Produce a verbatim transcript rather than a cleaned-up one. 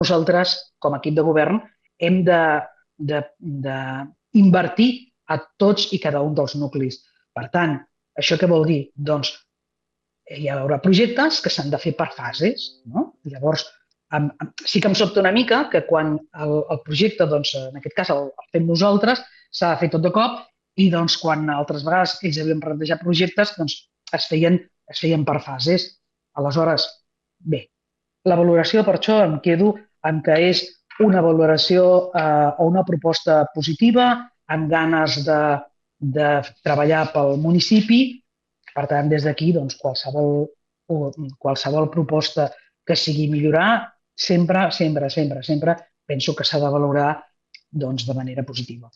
nosaltres, com a equip de govern, hem d'invertir a tots i cada un dels nuclis. Per tant, això què vol dir? Doncs hi haurà projectes que s'han de fer per fases. No? Llavors, amb, amb, sí que em sobta una mica que quan el, el projecte, doncs, en aquest cas el, el fem nosaltres, s'ha de fer tot de cop i doncs, quan altres vegades ells havien plantejat projectes, doncs, es, feien, es feien per fases. Aleshores, bé, la valoració per això em quedo amb que és una valoració eh, o una proposta positiva, amb ganes de, de treballar pel municipi. Per tant, des d'aquí, doncs, qualsevol, qualsevol proposta que sigui millorar, sempre, sempre, sempre, sempre penso que s'ha de valorar doncs, de manera positiva.